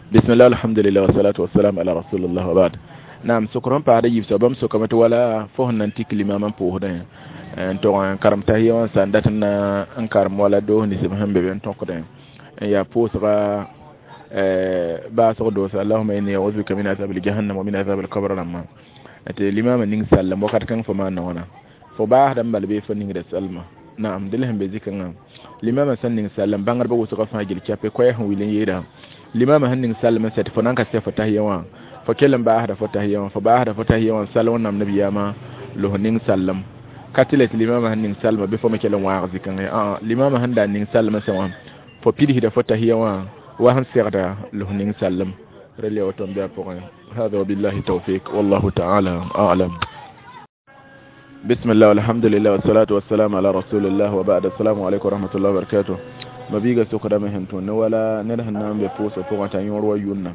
Bismillah, alhamdulillah, wassalatu wassalamu ala rasulillah wa ba'd. Naam, sokr sẽn paasd a yiib soaba bãmb sokame tɩ wala fo sẽn na n tik limamã pʋʋsdẽ n tog n karem tahiya wã sã n dat n na n karem wala doos nins b sẽn be be n tõkdẽ n yaa pʋʋsga baasg doose allahuma inni auzu bika min azabil jahannam wa min azabil qabr rãmbã tɩ limamã ning sallem wakat kãng fo maan wãna fo baasda n bal bee fo ningda salma. Naam, dẽl sẽn be zikãngã limamã sẽn ning sallem bãngdbã wʋsgã fãa gil chape koɛɛs sẽn wil n yeeda limamã sẽn ning sallem n sɛ tɩ fo nan ka sɛ fo tahiya wã fo kell n baasda fo tahiya wã fo baasda fo tahiya wã sall wẽnnaam nabiyaamã los ning sallem ka tɩ la tɩ limamã sẽn ning salma bɩ fo me kell n wãag zikãngã ã limamã sẽn da ning sallem sẽ wã fo pidsda fo tahiya wã wa sẽn segda los ning sallem rel ya woto n be a pʋgẽ. هذا وبالله التوفيق والله تعالى أعلم. بسم الله والحمد لله والصلاة والسلام على رسول الله وبعد. السلام عليكم ورحمة الله وبركاته. Mabiiga sokdame sẽn tõnd ne wala ned sẽn na n be pʋʋsg pʋgẽ t'a yõor wa yʋnna.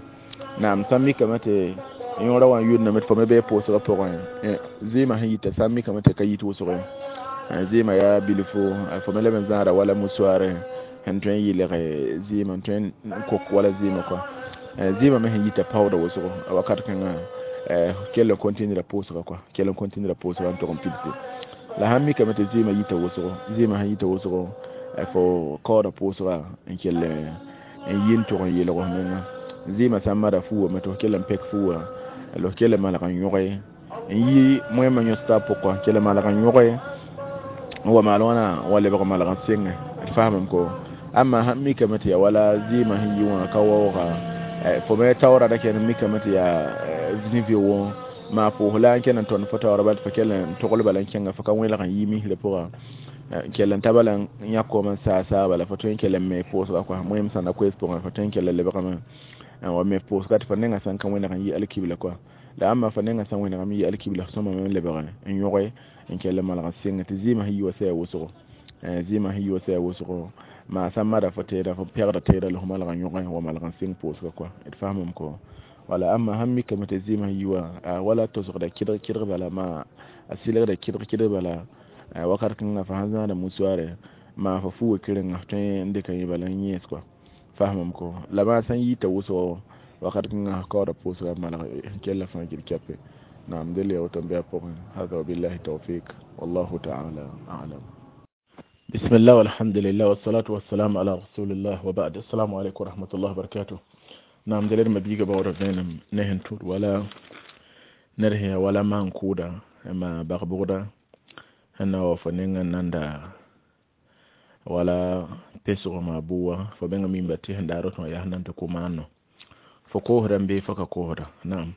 Naam, sã n mikame tɩ yõora wã n yʋnname tɩ fo me bee pʋʋsgã pʋgẽ zɩɩmã sẽn yita sã n mikame tɩ ka yit wʋsg zɩɩmã yaa bilfo fo me leb n zãada wala musoare sẽn tõe n yɩlg zɩɩmã n tõe n kok wala zɩɩmã kɔa zɩɩmã me sẽn yita paooda wʋsgo wakat kãngã kell n continra pʋʋsga kɔa kell n continra pʋʋsga n tog n pidse la sãn mikame tɩ zɩɩmã yita wʋsgo zɩɩmã sẽn yita wʋsgo fo kaooda pʋʋsga n kell n yi n tog n yeelg f menga zɩɩmã sã n mada fuuwã me tɩ f kell n pɛk fuuwã la f kell n malg n yõge n yi moẽmã yõs taab pʋgã kell n malg n yõge n wa maal wãna wa lebg malg n senge d faamame ko. Amma sãn mikame tɩ yaa wala zɩɩmã sẽn yi wã ka waooga fo me taoora da kẽnd mikame tɩ yaa zĩ-vɩ-wõ maa pʋʋs la n kẽnd n tõnd fo taoora bal tɩ fo kell n togl bala n kẽnga fo ka wẽlg n yi misrã pʋga kell n ta bala n yãk koom n saa bala fo tõe n kell n me pʋʋsga kɔa moẽm sã na koees pʋgẽ fo tõe n kell n lebgame n wa me pʋʋsga tɩ fo nengã sã n ka wẽneg n yi alkibla kɔa la amma fo nengã sã n wẽnegame yi alkibla sõma me n lebg n yõge n kell n malg n sɩng tɩ zɩɩmã sẽn yi wa sɛ wʋsgo zɩɩmã sẽn yi wa sɛ wʋsgo maa sã n mada fo teeda fo pɛgda teeda la fo malg n yõge wa malg n sɩng pʋʋsga kɔa d faamame ko. Wala amma sãn mikame tɩ zɩɩmã sẽn yi wã wala tosgda kɩdg kɩdg bala maa a sɩlgda kɩdg kɩdg bala wakat kãngã fo sãn zãada musoare maa fo fu wa kɩrenga f tõe n dɩka yẽ bala n yẽes kɔa faamame ko. La maa sã n yita wʋsgo wakat kãngã f kaooda pʋʋsga malg n kella fãa gil kɛpe. Naam, dẽl ya woto n be a pʋgẽ. Hada wabillahi tawfik wallahu taala alam. بسم الله والحمد لله والصلاة والسلام على رسول الله وبعد. السلام عليكم ورحمة الله وبركاته. نعم، دليل ما بيجا باورا فينم نهن تور ولا نرهي ولا ما نكودا ما بغبودا هنا وفنينا ناندا ولا pesgo ma buwa fo benga min bati handa roto ya hanan to kumano fo kohra mbe fo ka kohra. Naam,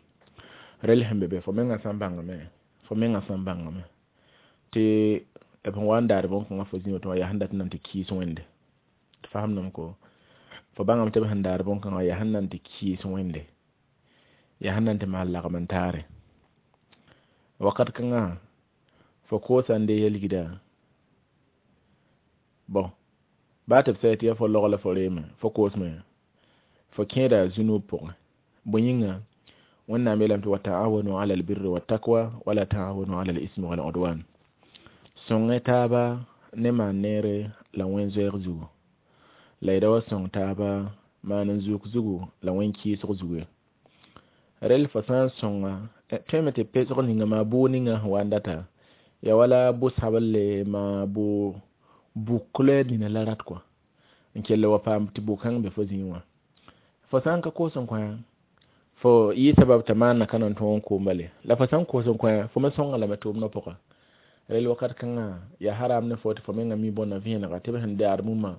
rel hembe be fo menga sambanga me fo menga sambanga me te b sẽn wa n daar bõn-kãngã fo zĩ tɩ yaa sẽn dat n na n tɩ kɩɩs wẽnde tɩ faamdame ko fo bãngame tɩ b sẽn daar bõn-kãngã yaa sẽn na n tɩ kɩɩs wẽnde yaa sẽn na n tɩ maan lagem n taare wakat kãngã fo koosa n dee yel-gida bõn baa tɩ b sɛ tɩ yaa fo log la fo reeme fo koosme fo kẽeda zũnub pʋgẽ bõe yĩnga wẽnnaam yeelame tɩ wa taawanu ala albirri wattaqwa wala taawanu ala alismi waludwan sõngẽ taaba ne maan neere la wẽn-zoɛɛg zugu la y da wa sõng taaba maan n zuk zugu la wẽn-kɩɩsg zugu ye rel fo sã n sõnga tõeme tɩ pesg ninga maa bʋʋg ninga sẽn wa n data ya wala bʋ-sablle maa bʋ bʋk la nina la rat kɔa n kell wa paam tɩ bʋ-kãng be fo zĩig wã fo sã n ka koos n kõ fo yɩ sabab t'a maanna ka na n tõog n koom bale la fo sã n koos n kõ fo me sõnga lame tʋʋmdã pʋga rel wakat kãngã yaa haram ne fo tɩ fo menga mi bõnna vẽenega tɩ b sẽn daar mumã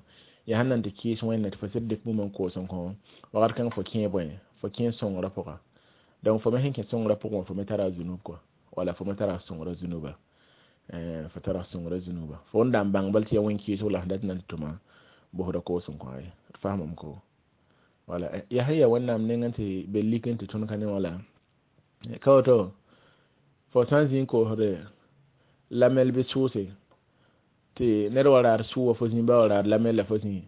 yaa sẽn na n tɩ kɩɩs wẽnna tɩ fo sɩd dɩk mumã n koos n kõ wakat kãng fo kẽ bõe fo kẽ sõngrã pʋga donc fo me sẽn kẽ sõngrã pʋgẽ fo me tara zunub kɔa wala fo me tara sõngrã zunuba fo tara sõngrã zunuba fo n da n bãng bal tɩ yaa wẽn-kɩɩsg la sẽn dat n na n tɩ tʋma bosda koos n kõ ye d faamame ko. Wala yaa sẽn yaa wẽnnaam nengẽ tɩ be lik n tɩ tõnd ka ne wã la ka woto fo sã n zĩ n koosde lamɛl bɩ sʋʋse tɩ ned wa raad sʋʋwa fo zĩ ba wa raad lamɛl la fo zĩ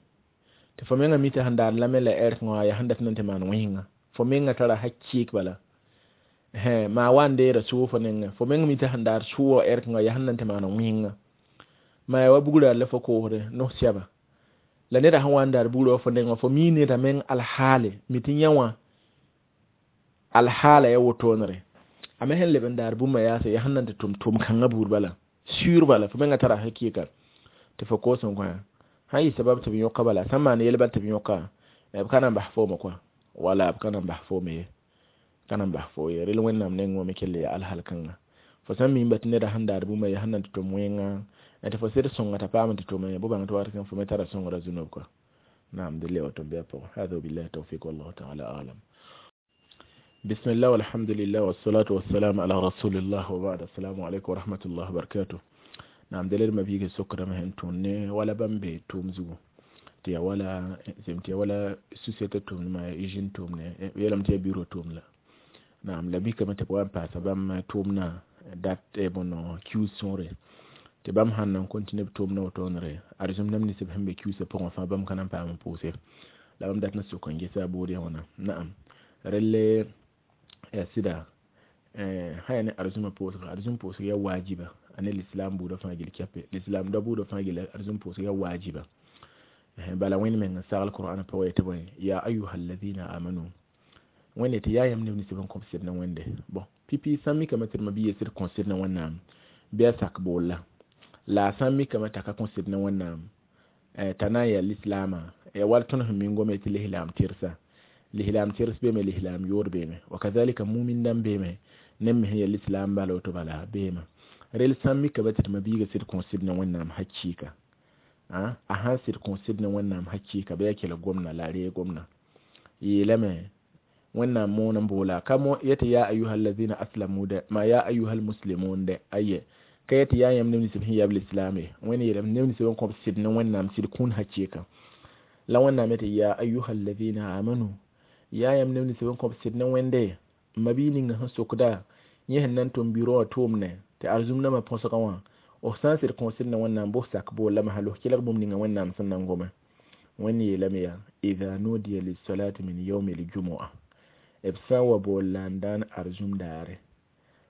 tɩ fo menga mi tɩ sẽn daar lamɛl la ɛrkẽ wã yaa sẽn dat n na n tɩ maan wẽsenga fo menga tara hakɩɩk bala maa wa n deera sʋʋg fo nengẽ fo meng mi tɩ sẽn daar sʋʋga ɛrkẽ wã yaa sẽn na n tɩ maan wẽsenga maa yaa wa bugra la fo koosde nos sɛba La neda sẽn wa n daar buurã wa fo nengã, fo mi neda meng alhaale mi tɩ yã wã alhaala ya wotoonere. A me sẽn leb n daar bũmba yaase yaa sẽn na n tɩ tʋm tʋʋm kãngã buud bala sũur bala, fo menga tara hakɩɩka tɩ fo koos n kõ sã n yɩ sabab tɩ b yõka bala, sãn maan yel bal tɩ b yõka, b ka na n bas fooma kɔa, wala b ka na n bas foome ye, ka na n bas fo ye. Rel Wẽnnaam neng wã me kell yaa alhal kãnga. Fo sãn miimba tɩ neda sẽn daar bũmba yaa sẽn na n tɩ tʋm wẽnga tɩ fo sɩd sõnga t'a paam tɩ tʋme bõ bãng tɩ wakat kãng fo me tara sõngrã zũnob kɔa. Naam, dɩl ya woto n bɩ a pʋgẽ. Hada wabillahi tawfiq, wallahu taala alam. Bismillah, walhamdulillah, wassalatu wassalamu ala rasulillah, wa ba'd. Assalamu alaikum wa rahmatullahi wa barakatuh. Naam, dalil ma biige sokrame sẽn tũud ne wala bãmb be tʋʋm zugu tɩ ya wala zem tɩ ya wala société tʋʋmdmã, ya usine tʋʋmne, yeelame tɩ ya bureau tʋʋm la. Naam, la mikame tɩ b wa n paasa bãmb tʋʋmnã dat bõn kius sõore tɩ bãmb sãn na n continue b tʋʋmdã wotoonere arzũm neb nins b sẽn be kiusã pʋgẽ fãa bãmb ka na n paam n pʋʋse la bãmb dat n sok n gesa a bood ya wãna. Naam, relle ya sɩda sã yaa ne arzũmã pʋʋsga, arzũm pʋʋsg ya waajiba a ne l'islam buudã fãa gil kɛpe, l'islam da buudã fãa gil arzũm pʋʋsg ya waajiba. Bala Wẽnd meng n sagl Qur'an pʋgẽ yetɩ bõe? Ya ayuha alladhina amanu, Wẽnde tɩ yaa yãmb neb nins b n kõb sɩd ne Wẽnde. Bõn pipi sã n mikame tɩ d ma-biiga sɩd kõ sɩd ne Wẽnnaam bɩ a sak boolla, la a sã n mikame t'a ka kõ sɩd ne Wẽnnaam t'a na n yaa lislaamã ya wall tõnd sẽn min gome tɩ lislaam tɩrsa, lislaam tɩrs beeme, lislaam yood beeme, wa kazalika mumin dãmb beeme, neb me sẽn yaa lislaam bala woto bala beeme. Rel sã n mikame tɩ d ma-biiga sɩd kõ sɩd ne Wẽnnaam hakɩɩka, a sãn sɩd kõ sɩd ne Wẽnnaam hakɩɩka bɩ a kelg gomdã la a reeg gomdã yeelame Wẽnnaam moon n boola ka yetɩ ya ayuha alladhina aslamu dɛ ma ya ayuha almuslimun dɛ aye ka yetɩ yaa yãmb neb nins b sẽn yab lislaam ye. Wẽnd yeelame neb nins b n kõb sɩd ne Wẽnnaam sɩd kũun hakɩɩka la Wẽnnaam yetɩ ya ayuha alladhina amanu, yaa yãmb neb nins b n kõb sɩd ne Wẽnde. Ma-bii ninga sẽn sokda yẽ sẽn na n tʋm bureau wã tʋʋmdẽ tɩ arzũm nambã põsgã wã, f sã n sɩd kõ sɩd ne Wẽnnaam bʋ sak boolla masã la f kelg bũmb ninga Wẽnnaam sẽn na n gome. Wẽnd yeelame yaa idha nudiya lissalati min yaumi ljumua, b sã n wa bool la n daan arzũm daare,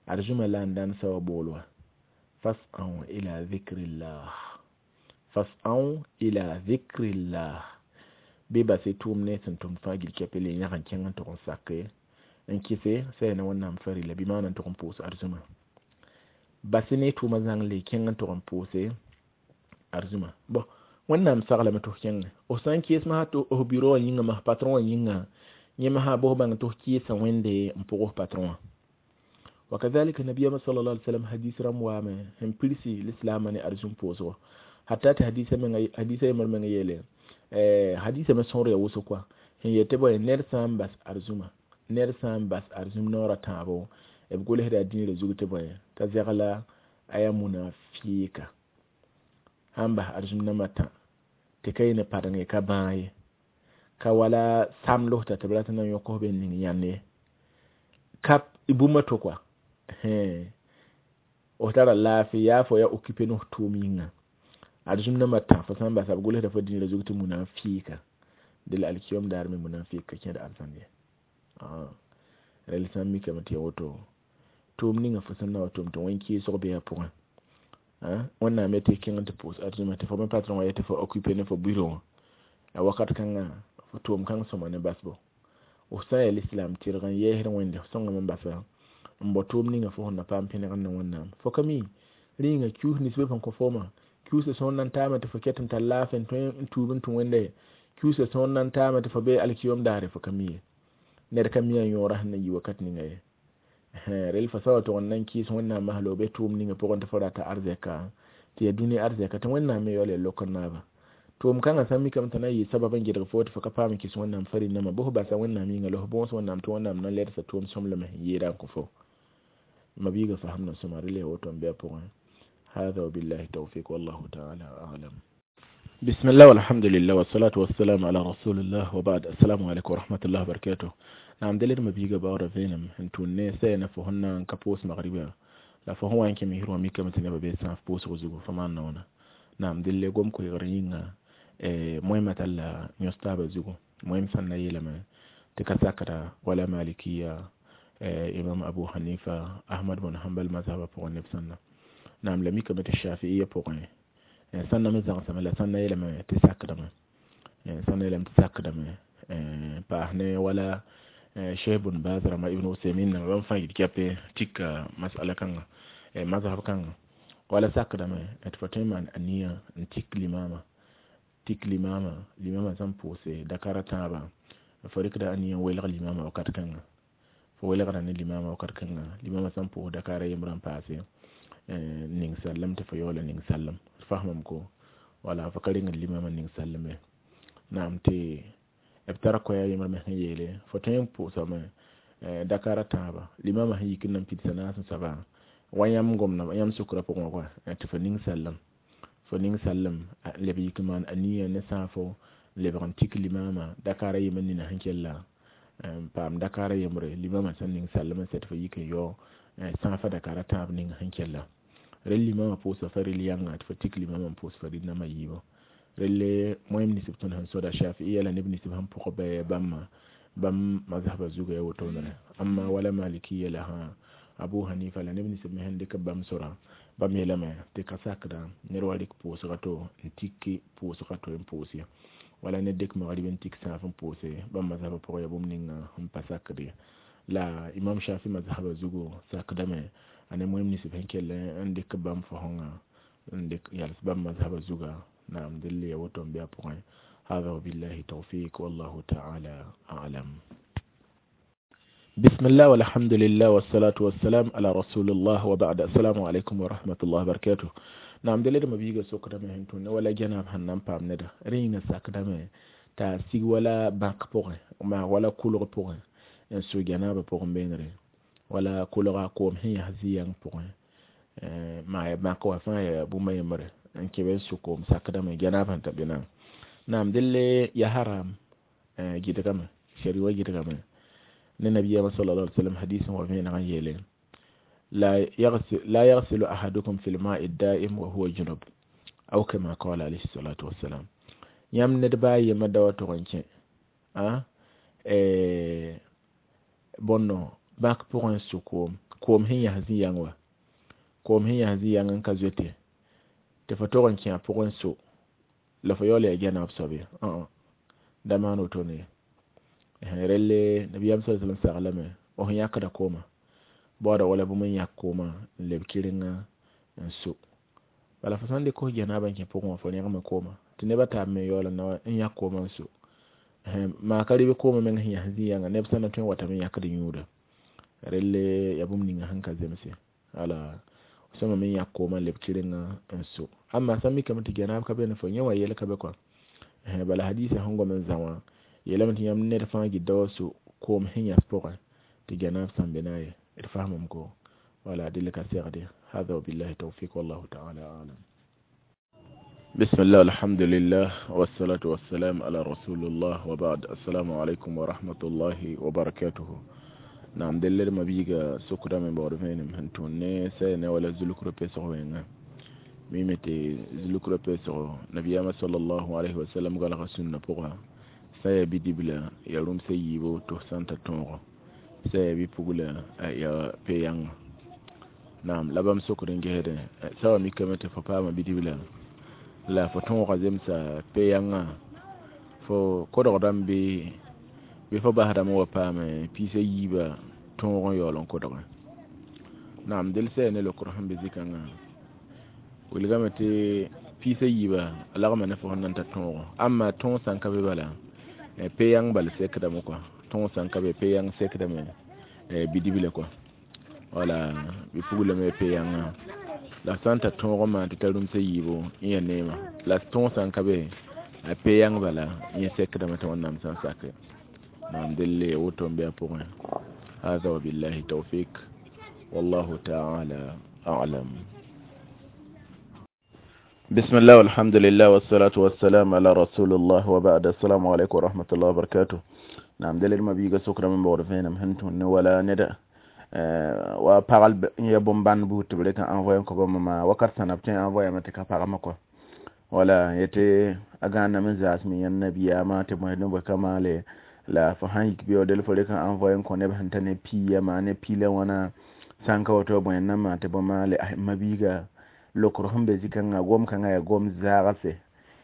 arzũmã la n daan sã wa bool wa, fas'au ila dhikrillah, fas'au ila dhikrillah, bɩ bas-y tʋʋm ne sẽn tʋmd fãa gil kɛpɛ le yãg n kẽng n tʋg n sake n kɩse sã yaa ne Wẽnnaam farila bɩ maana n tʋg n pʋʋs arzũmã. Bas-y ne tʋʋmã zãng le kẽng n tʋg n pʋʋse arzũmã. Bõ Wẽnnaam saglame tɩ f kẽnge, f sã n kɩɩs masã tɩ f bureau wã yĩnga mas patron wã yĩnga yẽ masã bʋs bãng tɩ f kɩɩsa Wẽnde n pʋg f patron wã. Wa kadhalika nabiyama sallallahu alaihi wasallam hadis rãmb waame sẽn pirsi lislaamã ne arzũm pʋʋsgo, hatta tɩ hadisa menga hadisa yembr menga yeele hadisa me sõor ya wʋsg kɔa sẽn yet tɩ bõe ned sã n bas arzũmã, ned sã n bas arzũm noorã tãabo b gʋlsda dĩirã zug tɩ bõe t'a zɛgla a yaa munafiika sãn bas arzũm nambã tã tɩ ka yɩ ne padeng ye ka bãag ye ka wala samd t'a tɩ b rat n na n yõk f be n ning yãnd ye ka bũmb to kɔa f tara laafɩ yaa fo ya occupé ne f tʋʋm yĩnga arzũm nambã tã fo sã n basa b gʋlsda fo dĩirã zug tɩ munafiika dɩl alkiyom daar me munafiik ka kẽd arzãn ye. Rel sã n mikame tɩ ya woto tʋʋm ninga fo sẽn na wa tʋm tɩ wẽn kɩɩsg bee a pʋgẽ Wẽnnaam yetɩ kẽng tɩ pʋʋs arzũmã tɩ fo me patron wã yetɩ fo occupé ne fo bureau wã a wakat kãngã fo tʋʋm kãng sõma ne basbo. F sã n yaa lislaam tɩrg n yɛɛsd Wẽnde f sõngame n basa n bao tʋʋm ninga fo sẽn na paam pẽneg n ne Wẽnnaam. Fo ka mi rĩnga kius nins be sẽn kõ foomã kiusã sõor na n taame tɩ fo ket n tar laafɩ n tõe n tuub n tũ Wẽnde kiusã sõor na n taame tɩ fo be alkiyom daare fo ka mi ye ned ka mi a yõorã sẽn na yi wakat ninga ye. Rel fo sã wa tʋg n na n kɩɩs Wẽnnaam masla b be tʋʋm ninga pʋgẽ tɩ fo rata arzɛka tɩ yaa dũni arzɛka tɩ Wẽnnaam me yaool yaa lok n naaba tʋʋm kãngã sã n mikame t'a na n yɩ sabab n gɩdg fo tɩ fo ka paam n kɩs Wẽnnaam farɩn-nambã bʋs basa Wẽnnaam yĩnga la f bõos Wẽnnaam tɩ Wẽnnaam na n ledsa tʋʋm sõmblem sẽn yeeda n kõ fo ma-biiga fasamd n sõma rel yaa woto n bɩ a pʋgẽ. Hada wabillahi tawfiq, wallahu taala alam. Bismillah, walhamdulillah, wassalatu wassalamu ala rasulillah, wa ba'd. Assalamu alaikum warahmatullahi wabarakatuh. Naam, dalil ma-biiga baoora vẽenem n tũud ne sã yaa ne fo sẽn na n ka pʋʋs magribã la fo sẽn wa n kẽ misr wã mikame tɩ nebã bee sãaf pʋʋsg zugu fo maan naoona. Naam, dɩl gom koeegr yĩnga moẽmã talla yõs taabã zugu moẽm sãn na yeelame tɩ ka sakda wala malikiya imam Abu Hanifa, Ahmad bn Hanbal mazhabã pʋgẽ neb sãnna. Naam, la mikame tɩ shafiiya pʋgẽ sãnna me zãgsame la sãnna yeelame tɩ sakdame. Sãn yeelame tɩ sakdame paas ne wala Cheikh Bun Baz rãmba, Ibn Usaymin namba, bãmb fãa yit kɛpe tika masala kãnga, mazhab kãnga. Wala sakdame tɩ fo tõe n maan aniya n tik limama, tik limama, limama sẽn pʋʋse dakara tãabã, fo rɩkda aniya n welg limama wakat kãnga. Fo welgda ne limama wakat kãnga, limama sẽn pʋʋs dakara yembrã n paase ning sallem, tɩ fo yaoola ning sallem. D fasmame ko wala fo ka rengd limama ning sallem ye. Naam, tɩ b tara koɛɛg yembr me sẽn yeele fo tõe n pʋʋsame dakara tãabã, limama sẽn yik n na n pidsa naas n soaba wa yãmb gomda yãmb sʋkrã pʋgẽ wã tɩ fo ning sallem, fo ning sallem leb yik n maan aniya ne sãafo lebg n tik limama dakara yembr nina sẽn kella n paam dakara yembre, limama sẽn ning sallem n sɛ tɩ fo yik n yao sãafa dakara tãab ning sẽn kella. Rel limama pʋʋsa fa rel yãnga tɩ fo tik limama n pʋʋs fa rel namba yiibu. Relle moem nisb tõnd sẽn soda Shafi'iya la neb nisb sẽn pʋg bɩ bãmba bãmb mazhaba zuga ya wotone. Amma wala Malikiya la ha Abu Hanifa la neb nisb me sẽn dɩk bãmb sora, bãmb yeelame tɩ ka sakda ned wa rɩk pʋʋsga to n tiki pʋʋsga to n pʋʋs ye, wala ned dɩk magrib n tik sãaf n pʋʋse. Bãmb mazhaba pʋgẽ ya bũmb ninga sẽn pa sakd ye. La Imam Shafi mazhaba zugu sakdame a ne moem nisb sẽn kell n dɩk bãmb fosẽngã n dɩk yals bãmb mazhaba zuga. Naam, delle ya woto n be a pʋgẽ. Hada wabillahi tawfiq, wallahu ta'ala a'lam. بسم الله والحمد لله والصلاة والسلام على رسول الله وبعد. السلام عليكم ورحمة الله وبركاته. Naam, dele ma biiga sokdame sẽn tũna wala janab sẽn na n paam neda rẽ yĩnga sakdame t'a sig wala bãk pʋgẽ, maa wala kʋlg pʋgẽ n sʋ janaba pʋgẽ beenre, wala kʋlga koom sẽn yas zĩ-yãng pʋgẽ, maa ya bãk wã fãa ya bũmb a yembre n kẽ be n sʋ koom, sakdame janab sẽn ta be naam. Naam, delle ya haram gɩdgame, shari wa gɩdgame ne nabiyama sallallahu alaihi wasallam hadisin wa vẽeneg n yeele: لا يغسل أحدكم في الماء الدائم وهو جنب، أو كما قال عليه الصلاة والسلام. Yãmb ned baa yemã da wa tʋg n kẽ bõnno bãk pʋgẽ n sʋ koom, koom sẽn yas zĩ-yãng wa, koom sẽn yas zĩ-yãng n ka zoete tɩ fo tʋg n kẽ a pʋgẽ so la fo yaool yaa janab soab ye, da maan wotone ye. Relle nabiyam sallallahu alaihi wasallam saglame fo sẽn yãkda koomã baooda wala bũmb n yãk koomã n leb kɩrenga n so. Bala fo sãn dɩk fo janaba n kẽ pʋgẽ wã, fo rẽgme koomã tɩ neb a taab me yaool n na n yãk koomã n so, maa ka rɩb koomã meng sẽn yas zĩ-yãnga neb sã na tõe n watame n yãkd yũuda. Relle yaa bũmb ninga sẽn ka zemse ala sõma me yãk koomã n leb kɩrenga n so. Amma sã n mikame tɩ janab ka be ne fo yẽ wã yɛl ka be kɔa. Bala hadisa sẽn gom n zã wã yeelame tɩ yãmb ned fãa gɩda wa so koom sẽn yas pʋgẽ tɩ janab sãn be na ye. D fasmame ko wala dɩl ka segde. Hada wabillahi tawfiq, wallahu ta'ala a'lam. بسم الله الحمد لله والصلاة والسلام على رسول الله وبعد. السلام عليكم ورحمة الله وبركاته. نعم، دلل ما بيجا سكرا من بعرفين هنتون ne wala zulukro pesgo wenga mime tɩ zulukra pesgo nabiyama sallallahu alaihi wasallam galga sũnna pʋga sã ya bidibla ya rũmsa yiibo tɩ f sã n ta tõogo, sã ya bipugla ya pe-yãnga. Naam, la bãmb sokd n gesdẽ sã wa mikame tɩ fo paama bidibla la fo tõoga zemsa pe-yãngã, fo kodgdame bɩ fo basdame wa paam piisa yiibã tõog n yaool n kodgẽ. Naam, del sã ya ne lokr sẽn be zĩ-kãngã wilgame tɩ piisa yiibã a lagma ne fo sẽn na n ta tõogo. Amma tõog sã n ka be bala, pe-yãng bal sekdame kɔa. Tõog sã n ka be, pe-yãng sekdame bidibla kɔa wala bipugla me pe-yãngã. La sã n ta tõog n maan tɩ ta rũmsa yiibo n ya neema, la tõog sã n ka be, a pe-yãng bala yẽ sekdame tɩ Wẽnnaam sã n sake. Naam, delle woto n be a pʋgẽ. هذا وبالله توفيق، والله تعالى أعلم. بسم الله والحمد لله والصلاة والسلام على رسول الله وبعد. السلام عليكم ورحمة الله وبركاته. نعم، دليل ما بيجا سكر من بعرفين هنتون ولا ندى wa pagal ya bõn-bãnd buud tɩ b rek n envoyer n kõ bãmb ma wakat sãna b tõe n envoyer tɩ ka pagmã kɔ wala yetɩ a gãaname n zaasem yãnd nabiyaamã tɩ bõe ne bõe ka maale la fo sãn yik beoodl fo rek n envoyer n kõ neb sẽn ta ne piiya maa ne piila wãna sãn ka woto bõe n na n maan tɩ bõ maale. Mabiiga lokr sẽn be zĩ-kãngã gom kãngã yaa gom zaagse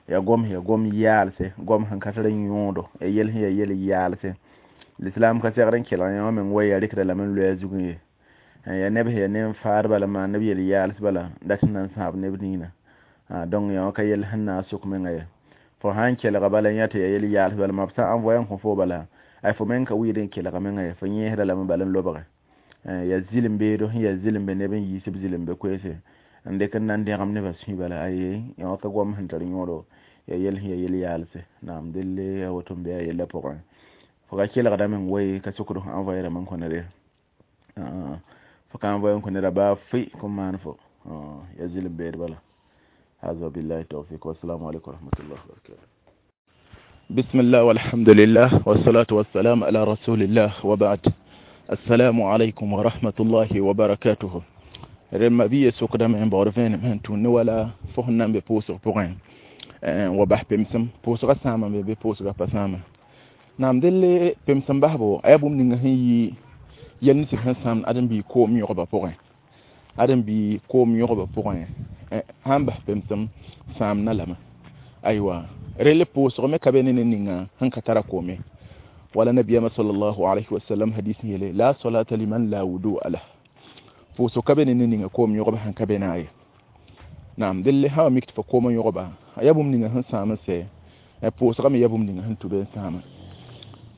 Ya gom ya gom yaalse, gom sẽn ka tar yõodo, ya yel sẽn ya yel yaalse. L'islam ka segd n kelg yã meng wa ya rɩkda lame n loe a zugẽ ye. Ya neb sẽn ya nen-faadba la maan neb yel yaals bala dat n na n sãab neb ningã. Donc yã wã ka yel sẽn na n sok menga ye. Fo sã n kelga bala yã tɩ ya yel yaals bala ma b sã n envoyer n kõ fo bala, ay fo meng ka wɩɩd n kelga menga ye, fo yẽesda lame bala n lobge. Ya zɩlem beedo sẽn ya zɩlem be neb n yiis b zɩlem be koeese n dɩk n na n dẽgem nebã sũy bala, aye yã wã ka goam sẽn tar yõodo, ya yel sẽn ya yel yaalse. Naam, delle ya woto n be a yellã pʋgẽ. Fo ka kelgda meng woe ka sokd fo envoyer rãmb n kõ ned ye. Fo ka envoyer n kõ neda baa fʋɩ kõn maan fo, ya zɩlem beed bala. هذا بالله التوفيق والسلام عليكم ورحمة الله وبركاته. بسم الله والحمد لله والصلاة والسلام على رسول الله وبعد. السلام عليكم ورحمة الله وبركاته. رمى بي سوق دم عن بعرفين من تون ولا فهنا ببوس بوغين وبح بمسم بوس غسامة ببوس غسامة. نعم دل بمسم بحبو أبو من هي ينسي هنسام أدم بي كوم يغبا بوغين أدم بي كوم يغبا بوغين هم بح بمسم سامنا لما أيوة ريل بوس غمي كبينين نينا هنك ترى كومي. ولا نبي صلى الله عليه وسلم حديث يلي لا صلاة لمن لا وضوء له. بوسو كبينين نينا كوم يغبا هنك بيناي. نعم دل ها ميكت فكوم يغبا يبوم نينا هن سام سي بوس غمي يبوم نينا هن تبين سام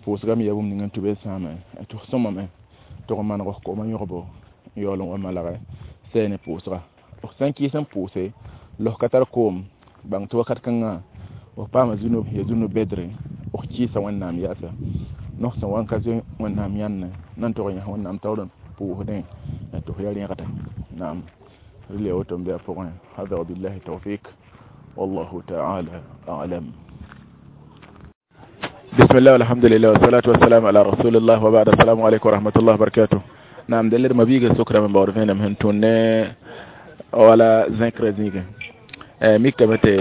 بوس غمي يبوم نينا تبين سام تخصم ما تغمان غو كوم يغبا يولون وما لا سين بوس غا sãn kɩɩs n pʋʋse los ka tar koom bãng tɩ wakat kãngã f paama zũnub ya zũnub bedre f kɩɩsa Wẽnnaam yaasa nos sẽn wa n ka zoe Wẽnnaam yãnne na n tog n yãs Wẽnnaam taoor n pʋʋsdẽ tɩ f ya rẽgda. Naam, rel ya woto n be a pʋgẽ. Hada wabillahi tawfik wallahu ta'ala a'lam. Bismillah walhamdulillah wassalatu wassalamu ala rasulillah wa ba'd. Assalamu alaikum wa rahmatullahi wa barakatuh. Naam, dẽlr mabiiga sokrame n baood vẽenem sẽn tũn ne wala zẽkrã zĩigẽ mikame tɩ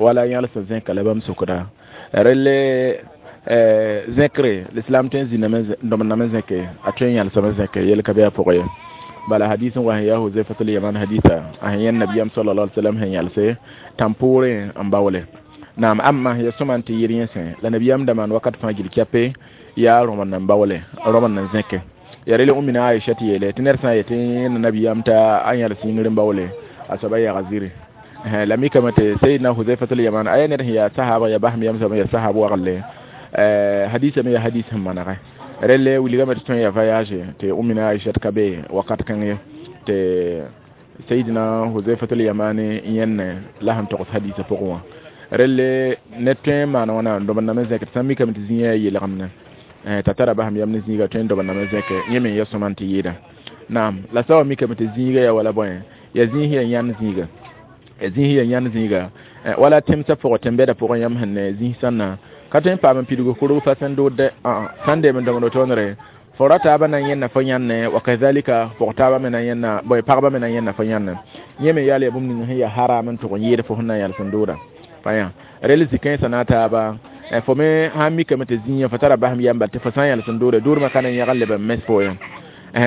wala yãls n zẽka la bãmb sokda relle zẽkre l'islam tõe n zĩname n dõmdame zẽke a tõe n yãlsame zẽke yel ka be a pʋgẽ ye. Bala hadis n wa sẽn yaa Huzaifatul Yaman hadisa a sẽn yẽnd nabiyam sallallahu alaihi wasallam sẽn yãlse tãn-poorẽ n baoole. Naam, amma ya sõma n tɩ yɩr yẽsẽ la nabiyam da maan wakat fãa gil kɛpe yaa rõmd n baoole rõmd n zẽke. Ya rele ummina Aisha tɩ yeele tɩ ned sã n yetɩ nabiyam t'a a yãls yĩngr n baoole a soaba yaga ziri. La mikame tɩ Sayyidina Huzaifatul Yaman a yaa ned sẽn yaa sahaba ya basem yam soab ya sahab wagle hadisa me ya hadis sẽn manegɛ relle wilgame tɩ tõe n ya voyage tɩ ummina Aisha ka be wakat kãng ye tɩ Sayyidina Huzaifatul Yamani yẽnne la sẽn togs hadisa pʋgẽ wã. Relle ned tõe n maan wãna n dõmd name zẽk tɩ sã n mikame tɩ zĩ yaa yelgemne t'a tara basem yam ne zĩiga tõe n dõmd name zẽke yẽ me ya sõma n tɩ yɩɩda. Naam, la sã wa mikame tɩ zĩiga ya wala bõe ya zĩis ya yãnd zĩiga ya zĩis ya yãnd zĩiga wala tẽmsã pʋgẽ tẽn-bɛdã pʋgẽ yãmb sẽn ne zĩis sãnna ka tõe n paam n pidg kurg fa sẽn doodɛ sãn deem n dõmd tõodre fo ra taabã na n yẽnna fo yãnne wa kazalika pʋg taabã me na n yẽnna bõe pagba me na n yẽnna fo yãnne yẽ me yaal ya bũmb ning sẽn ya haram n tʋg n yɩɩd fo sẽn na n yãls n dooda pa yã rel zĩ-kãensã na a taaba fo me sãn mikame tɩ zĩigã fo tara basem yam bal tɩ fo sã n yãls n doode doodmã ka na n yãg n leb n mes fo ye.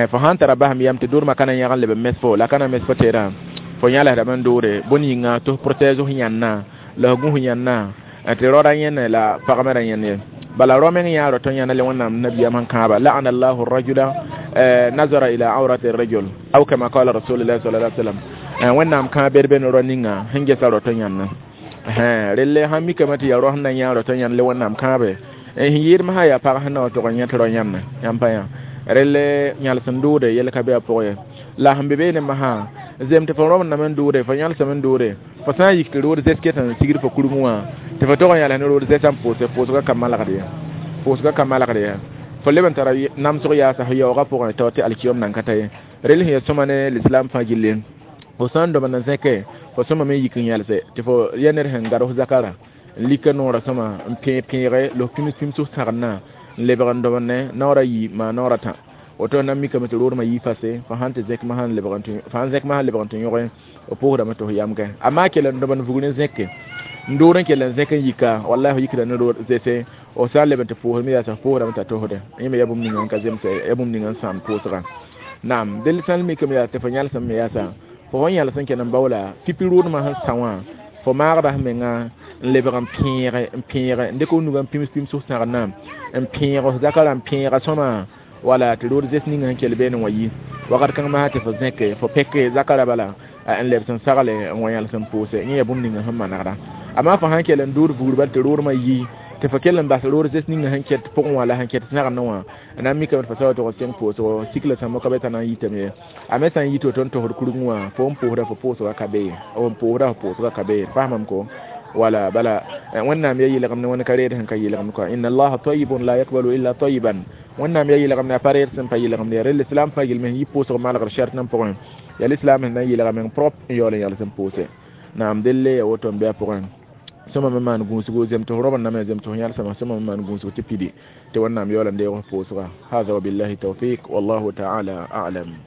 Fo sãn tara basem yam tɩ doodmã ka na n yãg n leb n mes fo la ka na mes fo teerã fo yãlsdame n doode bõn yĩnga tɩ f protège f yãnna la f gũ f yãnna tɩ raoda yẽne la pagmẽ ra yẽnd ye. Bala rao meng yã rao tõe n yãna le Wẽnnaam nabiyam sẽn kãaba la'ana allahu rajula nazara ila awrati rajul aw kama qala rasulullah sallallahu alaihi wasallam. Wẽnnaam kãa bed be ne rao ninga sẽn gesa rao tõe n yãnna. Relle sãn mikame tɩ yaa rao sẽn na n yã rao tõe n yãnd le Wẽnnaam kãabe sẽn yɩɩd masã yaa pag sẽn na wa tog n yẽ tɩ rao yãnna yãmb pa yã relle yãls n doode yel ka be a pʋgẽ ye. La sẽn be beene masã zem tɩ fo rõmd name n doode fo yãlsame n doode fo sã n yik tɩ rood zɛs ket n sigd fo kurgẽ wã tɩ fo tog n yãls ne rood zɛsã n pʋʋse pʋʋsgã ka malgd ye pʋʋsgã ka malgd ye fo leb n tara namsg yaasa f yaoogã pʋgẽ tao tɩ alkiyom nan ka ta ye. Rel sẽn ya sõma ne l'islam fãa gilli fo sã n dõmd n zẽke fo sõma me yik n yãlse tɩ fo ya ned sẽn gad f zakara n lika noorã sõma n pẽeg pẽege la f pĩms pĩms f sagenda n lebg n dõmd ne naoora yi maa naoora tã woto na mikame tɩ roodmã yii fase fo sãn tɩ zẽk masã n lebg n tɩ yõge f pʋʋsdame tɩ f yamgẽ amaa kell n dõmd vugr n zẽke n dood n kell n zẽk n yika wallahi f yikda ne rood zese f sã n leb n tɩ pʋʋsme yaasa f pʋʋsdame t'a tosde yẽ me yaa bũmb ninga n ka zemse yaa bũmb ninga n sãam pʋʋsgã. Naam, del sãn mikame yaa tɩ fo yãlsem me yaasa fo sẽn yãls n kell n baoola pipi roodmã sẽn sã wã fo maagda f menga N lebg n pẽege n pẽege n dɩk f nugã n pims pims f sãgenã n pẽeg f zakã n pẽega sõma wala tɩ rood zes ninga sẽn kell beene wã yi wakat kãng masã tɩ fo zẽke fo pɛke zakã ra bala n lebs n sagle n wa yãls n pʋʋse yẽ yaa bũmb ninga sẽn manegda. Amaa fo sãn kell n dʋʋd vugr bal tɩ roodmã yi tɩ fo kell n bas rood zes ninga sẽn ket pʋgẽ wã la sẽn ket sãgendẽ wã n na n mikame tɩ fo sa wa tʋg n sẽng pʋʋsgo sikla sãmb ka be t'a na n yitame ye. A me sã n yi tɩ woto n tosd kurgẽ wã fo n pʋʋsda fo pʋʋsgã ka be ye, n pʋʋsda fo pʋʋsgã ka be ye. Faamame ko wala bala wẽnnaam ya yɩlgem ne wẽnd ka reed sẽn ka yɩlgemd kɔa. Inna allaha tayibun la yakbalu illa tayiban. Wẽnnaam ya yɩlgem ne a pa reed sẽn pa yɩlgemd ya. Rel islam fãa gil me sẽn yi pʋʋsg malgr shɛrt n pʋgẽ yaa l'islam sẽn na n yɩlga meng prop n yaool n yals n pʋʋse. Naam, delle ya woto n bɩ a pʋgẽ sõma me maan gũusgo zem tɩ f robd name zem tɩ f yãlsama sõma me maan gũusg tɩ pidi tɩ wẽnnaam yaool n deeg f pʋʋsga. Hada wabillahi tawfiq wallahu taala a'lam.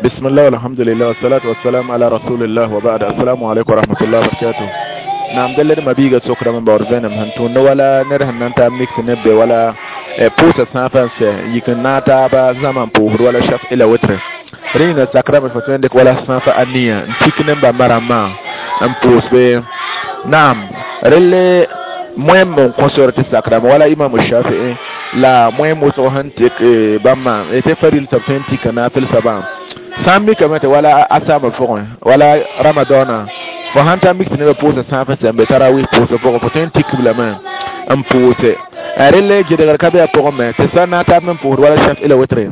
بسم الله والحمد لله والصلاة والسلام على رسول الله وبعد. السلام عليكم ورحمة الله وبركاته. نعم، دلر ما بيغا سوكرا من باور فينم هنتون ولا نره نانتا ميكس نبي ولا بوسا سافنس يكن ناتا با زمان بوهر ولا شف إلى وتر رينا ساكرا من فتوين ديك ولا سافا أنية نتيك نمبا مرما نبوس بي. نعم، رلي مهم من كونسور تساكرا ولا إمام الشافعي لا مهم وسوهن تك بما يتفريل تبتين تك نافل سبا sã n mikame tɩ wala a saamã pʋgẽ wala ramadɔɔnã fo sãn ta mik tɩ nebã pʋʋsa sãafã sẽn be tarawih pʋʋsg pʋgẽ fo tõe n tik b lame n pʋʋse. Relle gɩdgr ka be a pʋgẽ me tɩ sã n na n tab n pʋʋsd wala shaf ila wetre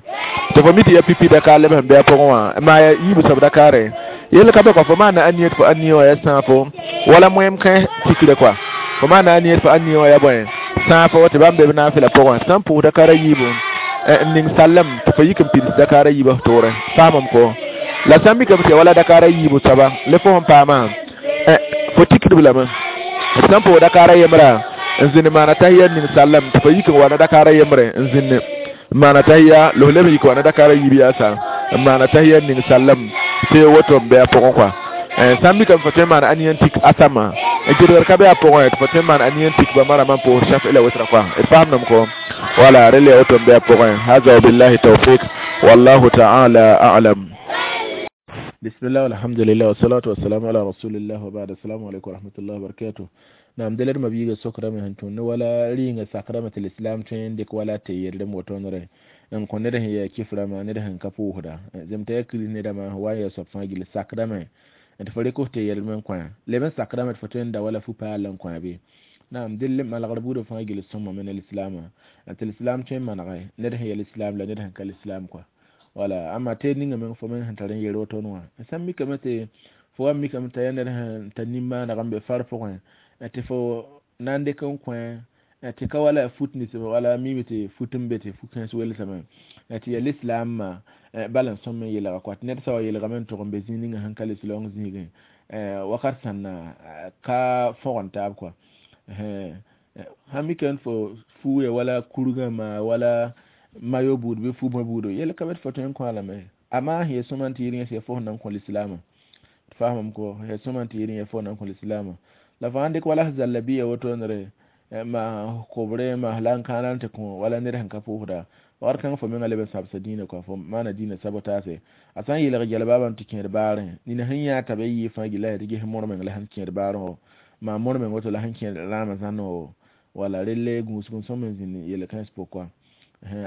tɩ fo mi tɩ ya pipi dakar leb sẽn be a pʋgẽ wã maa ya yiib soab dakare yel ka be kɔ fo maana a niyet fo a nia wã ya sãafo wala moem kẽ tikre kɔa fo maana a niyet fo a nia wã ya bõe sãafo tɩ bãmb be b naafɩla pʋgẽ sã n pʋʋs dakara yiibu n ning sallem tɩ fo yik n pids dakara yiibã f toorẽ. Faamame ko la sã n mikame tɩ ya wala dakara yiibu soaba le fo sẽn paamã fo tikdb lame sã n pʋʋs dakara yembra n zĩnd maana tahiya ning sallem tɩ fo yik n wa na dakara yembre n zĩnd maana tahiya la f leb n yik wa na dakara yiib yaasa n maana tahiya ning sallem tɩ woto n be a pʋgẽ kɔa. Sã n mikame fo tõe n maana aniya n tik asama gɩdgr ka be a pʋgẽ tɩ fo tõe n maana aniya n tik ba marama n pʋʋs shaf ila witra kɔa. D faamdame ko wala rel ya woto n be a pʋgẽ. Hada wabillahi tawfiq wallahu ta'ala a'lam. بسم الله والحمد لله والصلاة والسلام على رسول الله وبعد. السلام عليكم ورحمة الله وبركاته. نعم، دلر ما بيجا سكرة من هنتون ولا رينغ سكرة الإسلام تين ديك ولا تير دم وتونره إن كنا ده هي كيف رما نده هن كفوه ده زم تأكل نده ما هو يا سبحان الله سكرة من أنت فريقه تير من كوان لمن سكرة من فتون ده ولا فوق لهم كوان بي. نعم، دل ما الغرب ده فاجل السماء من الإسلام أنت الإسلام تين ما نغاي نده هي الإسلام لا نده هن كالإسلام كوا wala amma te ninga men fo men hantaren yero to noa san mi kamate fo am mi kamata yanar han tanimma na gambe far fo te fo nande kan kwen te ka wala futni se wala mimite futumbe te fu kan so sama te ya l'islam ma balan son men yela ko te net sawa yela men to gombe zininga han kale silong zige wakar sanna ka fo on tab quoi hami kan fo fu ya wala kuruga ma wala mayo buud be fu ma buudo yel ka bet foto en ko ala me ama he somanti yirin se fo nan ko l'islam faham ko he somanti yirin fo nan ko l'islam la fande ko wala zallabiya woto nre ma kobre ma lan kanan te ko wala nere han ka fuhda war kan fo men alebe sabsa dina ko fo mana dina sabotase asan yele jalbaban tikin bare ni na hanya ta be yi fa gila dige mor men la han kin bare o ma mor men woto la han kin rama zano wala rele gusun so men zini yele kan spo kwa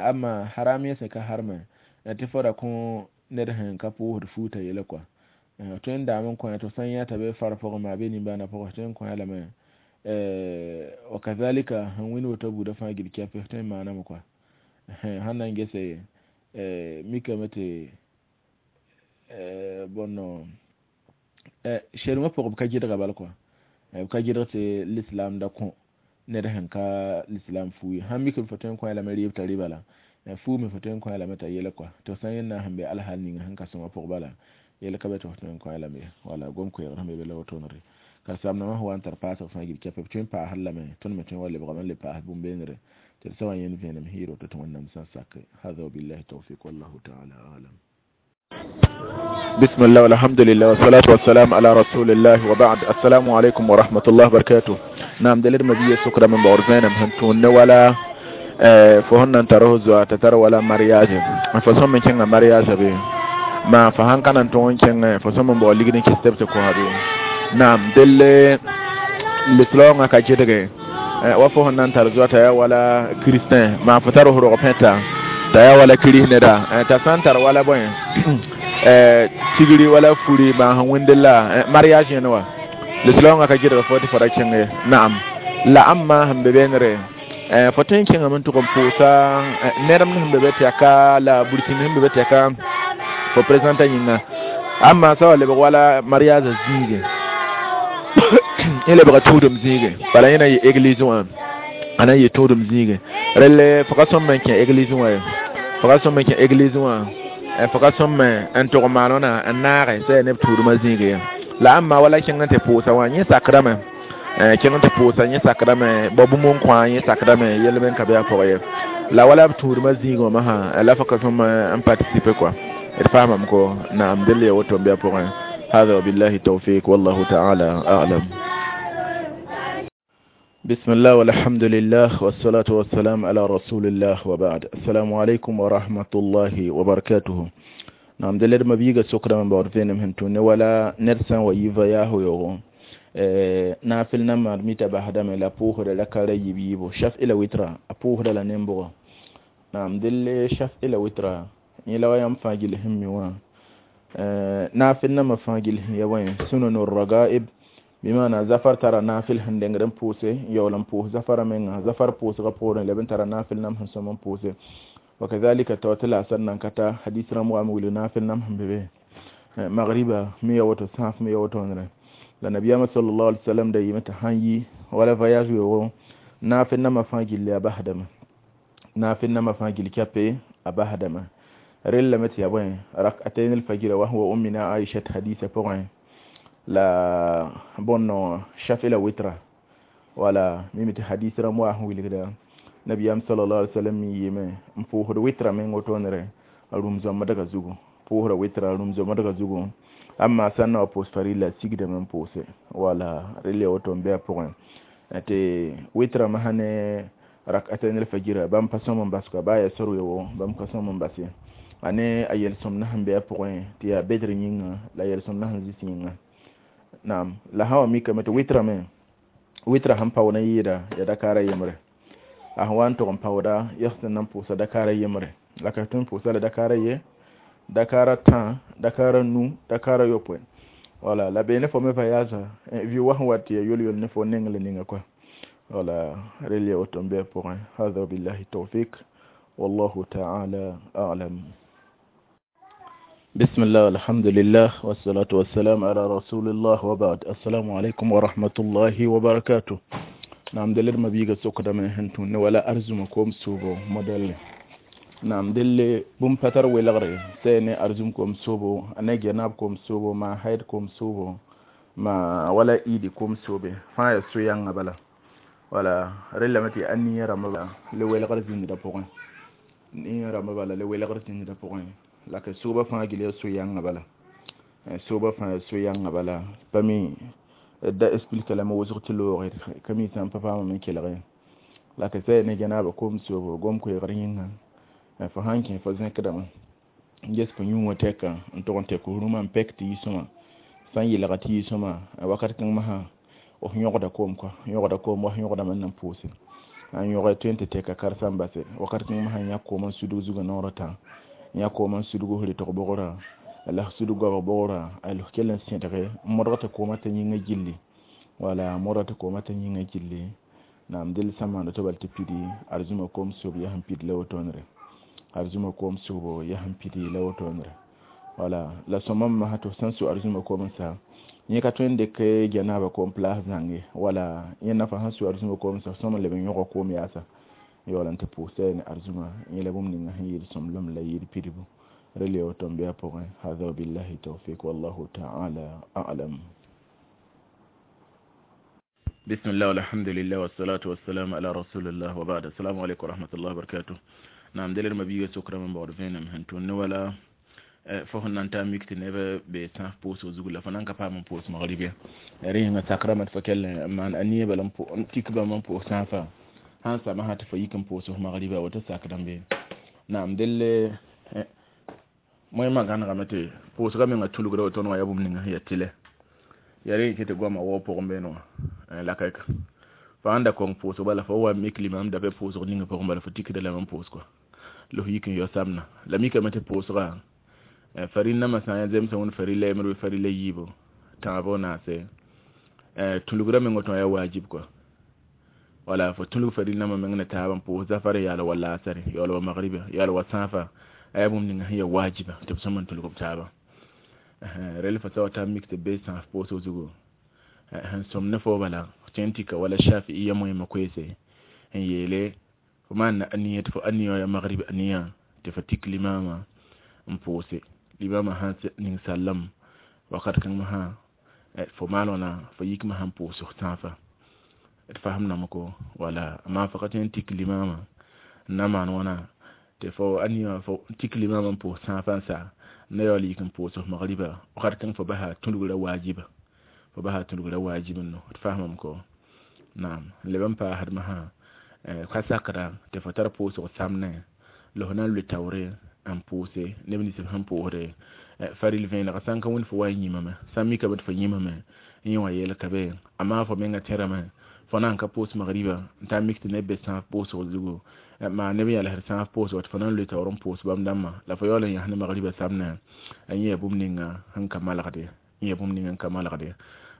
amma haramiya sai ka harma ta fara ko nere han ka fuhda futa yele kwa to en da mun ko to sanya ta be fara fo ma be ni bana fo to en ko ala me wa kadhalika han wini woto buda fa gidi ka fe to ma na mo kwa hanan gese mika mate bonno sherma pʋg b ka gɩdga bal kɔa b ka gɩdg tɩ l'islam da kõ ned sẽn ka l'islam fuu ye sãn mik b fo tõe n kõ a lame rɩɩb t'a rɩba la fuu me fo tõe n kõ a lame t'a yɛla kɔa tɩ f sã n yẽnd na n sẽn be alhal ninga sẽn ka sõma pʋg bala yɛl ka be tɩ f tõe n kõ a lame wala gom koɛɛgr sẽn be be la wotonre ka samnamã sẽn wa n tar paasg fãa gil kɛpɛ b tõe n paasd lame tõnd me tõe n wa lebgame n le paas bũmb-beenre tɩ d sã wa yẽnd vẽenem hiir woto tɩ wẽnnaam sã n sake. Hada wabillahi tawfiq wallahu taala alam. بسم الله والحمد لله والصلاة والسلام على رسول الله وبعد. السلام عليكم ورحمة الله وبركاته. نعم، دليل مبيه سكرة من بورزين مهنتون ولا فهن تروه زوا تتر ولا mariage فصوم من كان mariage بي ما فهن كان تون كان فصوم من بوليغ ني كستب تكو هابي. نعم، دل lislaoongã ka gɩdge wa fo sẽn na n tar zoa t'a yaa wala kristin maa fo tar f rog pẽta t'a yaa wala kiris neda t'a sã n tar wala bõe tigri wala furi maa sẽn wẽnd la mariage yẽne wã lislaoongã ka gɩdg fo tɩ fo ra kẽng ye naam la ãmba sẽn be beenre fo tõe n kẽngame n tʋg n pʋʋsa ned m sẽn be be tɛka la burkĩnd sẽn be be tɛka fo présenta yĩnga ãmba sã wa lebg wala mariage zĩige yẽ lebga tũudem zĩige bala yẽ na n yɩ église wã a na n yɩ tũudem zĩige relle fo ka sõm n kẽ église wã ye fo ka sõm n kẽ église wã fo ka sõm n tʋg maan wãna n naage sã yaa neb tũudmã zĩige ye la ãmba wala kẽng n tɩ pʋʋsa wã yẽ sakrame kẽng n tɩ pʋʋsa yẽ sakdame bao bũmb n kõ yẽ sakdame yell me n ka be a pʋgẽ ye la wala b tũudmã zĩig wã masã la fo ka sõm n participer quoi d faamame ko naam dẽl ya woto n be a pʋgẽ هذا وبالله التوفيق والله تعالى أعلم. بسم الله والحمد لله والصلاة والسلام على رسول الله وبعد. السلام عليكم ورحمة الله وبركاته. نعم دلر ما بيجا سكرا من بعرفين من توني ولا نرسان ويفا ياهو يوغو نافل نمر ميتا بهدم لا بوهر لا كاري يبيبو شاف إلى وترا أبوهر لا نمبو. نعم دل شاف إلى وترا يلا ويام فاجل همي وا نافل نما فاجل يا وين سنن الرغائب بمعنى زفر ترى نافل هندنگرن پوسه يولن پوس زفر من زفر پوس غپورن لبن ترى نافل نم هنسمن پوسه وكذلك توتل أسرنا كتا حديث رمو أمول نافل نم هم ببه مغربا مية وتو ساف مية وتو نرى لنبي صلى الله عليه وسلم دا يمت هاني ولا فياج يو نافل نم فاجل أبهدم نافل نم فاجل كابي أبهدم رل متي يا بوين ركعتين الفجر وهو أمنا عائشة حديث بوين la bonno shafi la witra wala mimiti hadith ramwa wilgda nabiyam sallallahu alaihi wasallam yime mpo witra men otonere rumzo madaga zugu po witra rumzo madaga zugu amma sanna post farila sigda men pose wala rele oton be point ate witra mahane rak'atayn al-fajr bam pasom baska baya soru yo bam kasom basi ane ayel somna hambe point tiya bedri nyinga la yel somna hanzisi nyinga naam la hawa mika mete witra me witra han pawna yida ya dakara yemre a wan to on pawda yahsan nan pusa dakara yemre la ka tun pusa la dakara ye dakara tan dakara nu dakara yopwe wala la be ne fo me vayaza vi wa wati yol yol ne fo nengle ninga quoi wala relie otombe pour hadha billahi tawfik wallahu ta'ala a'lam. بسم الله والحمد لله والصلاة والسلام على رسول الله وبعد. السلام عليكم ورحمة الله وبركاته. نعم دلر ما بيجا سوق دم هنتون ولا أرزمكم سوبو موديل. نعم دل بوم فتر ولا غري سين أرزمكم سوبو أنا جنابكم سوبو ما حيدكم سوبو ما ولا إيدكم سوبي فاي سويان بلا ولا رلمتي أني رملا لولا غري زين دابورن ني رملا لولا غري زين دابورن la ka soba fãa gil ya so-yãngã bala soba fãa ya so-yãngã bala pa mi da explique la me wʋsg tɩ loogd ka mi sã n pa paamame n kelg la ka sɛ ne gẽnaaba kom soobo gom koeegr yĩnga fo sãn kẽ fo zẽkdame n ges fo yũ wã tɛka n tʋg n tɛk rũmã n pɛk tɩ yisõma sã n yelga tɩ yisõma wakat kãng masã f yõgda koom kɔa yõgda koom wa yõgdame n na n pʋʋse n yõg tõe n tɩ tɛka karsa n base wakat kãng masã yãk koom n sudg zugã noorã tã ya ko man sudugo hore to bogora la sudugo ba bogora al kelen sentere modata ko mata nyinga jilli wala modata ko mata nyinga jilli nam del samando to balti pidi arzuma kom sob ya han pidi lawotonre arzuma kom sobo ya han pidi lawotonre wala la somam ma hato sansu arzuma kom sa ni ka twende ke janaba kom place zange wala yena fa hansu arzuma kom sa soma lebe nyoko kom yasa yolan te puse ne arzuma yele bum ninga yir somlom la yir piribu rele o tombe apore hadha billahi tawfiq wallahu ta'ala a'lam. Bismillah walhamdulillah wassalatu wassalamu ala rasulillah wa ba'd. Assalamu alaykum wa rahmatullahi wa barakatuh. Naam deler mabiyo sokra man bawd venam hanto ne wala fo nan ta mikti nebe be sa poso zugula fa nan ka pa man pos maghribi ringa takramat fa kelle man aniya balam po tikba man po safa han sama hata fa yikan poso maghriba wata sakran be naam delle moy magana gamate poso ga menga tulugra to no ya bum ninga ya tile Yaa rẽ tɩ goamã waoog pʋgẽ beene wã la kaika fo sãn da kong pʋʋsg bala fo wa mik limam da be pʋʋsg ning pʋgẽ bala fo tikda lame n pʋʋs kɔa la f yik n yao samna la mikame tɩ pʋʋsga faril nambã sã n yaa zemsã wẽnd farila yembr bɩ farila yiibu tãabo naase tũlgrã meng woto yaa wajib kɔa wala fo tũlg faril nambã meng ne taab n pʋʋs zafar yaal wa laasare yaool wa magriba yaool wa sãafa a yaa bũmb ninga sẽn yaa wajiba tɩ b sõm n tũlg b taabã rel fo sa wa t'a mik tɩ be sãaf pʋʋsg zugu sẽn sõm ne fo bala tõe n tika wala shafi'iya moẽmã koeese n yeele fo maan na aniya tɩ fo aniya wã yaa magrib aniya tɩ fo tik limama n pʋʋse limama sãn ning sallam wakat kãng masã fo maan wãna fo yikmã sãn pʋʋs sãafa d fasemdame ko wala amma fo ka tõe n tik limama n na maan wãna tɩ fo aniya fo tik limama n pʋʋs sãafã n sa n na yaool yik n pʋʋs f magriba wakat kãng fo basa tũlgrã wajiba fo basa tũlgrã wajib n no d fasemame ko naam n leb n paasd masã ka sakda tɩ fo tar pʋʋsg samnẽ la f na n lʋ taoore n pʋʋse neb nins b sẽn pʋʋsde faril vẽenega sã n ka wẽnd fo wa n yĩmame sã n mikame tɩ fo yĩmame n yẽ wã yeel ka be amaa fo menga tẽrame fo na n ka pʋʋs magriba n taa mik tɩ neb be sãaf pʋʋsg zugu maa neb yalsd sãaf pʋʋsg tɩ fo na n lʋ taoor n pʋʋs bãmb dãmbã la fo yaool n yãs ne magriba samnẽ a yẽ yaa bũmb ninga sẽn ka malgde yẽ yaa bũmb ninga n ka malgde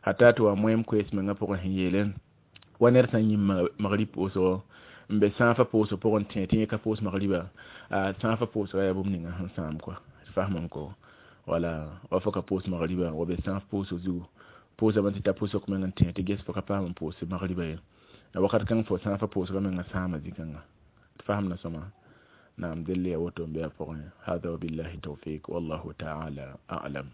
hata tɩ wa moẽm koees mengã pʋgẽ sẽn yeele wa ned sã n yĩm magrib pʋʋsgo n be sãafã pʋʋsg pʋgẽ tẽ tɩ yẽ ka pʋʋs magriba a sãafã pʋʋsga yaa bũmb ninga sẽn sãam kɔa fasmame ko wala wa fo ka pʋʋs magriba wa be sãaf pʋʋsg zugu pʋʋsame tɩ ta pʋsg meng n tẽ tɩ ges fo ka paam n pʋʋs magriba ye la wakat kãng fo sãafã pʋʋsga menga sãama zĩ-kãnga d fasemda sõma naam delle ya woto n be a pʋgẽ hada wabillahi tawfik wallahu taala a'lam.